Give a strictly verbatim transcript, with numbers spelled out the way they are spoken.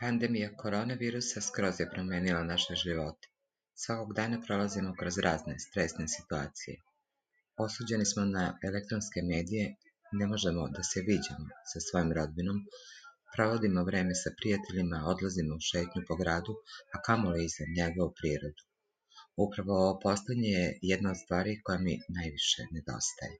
Pandemija koronavirusa skroz je promenila naše živote. Svakog dana prolazimo kroz razne stresne situacije. Osuđeni smo na elektronske medije, ne možemo da se viđamo sa svojim rodbinom, provodimo vreme sa prijateljima, odlazimo u šetnju po gradu, a kamoli iza njega u prirodu. Upravo ovo poslednje je jedna od stvari koja mi najviše nedostaje.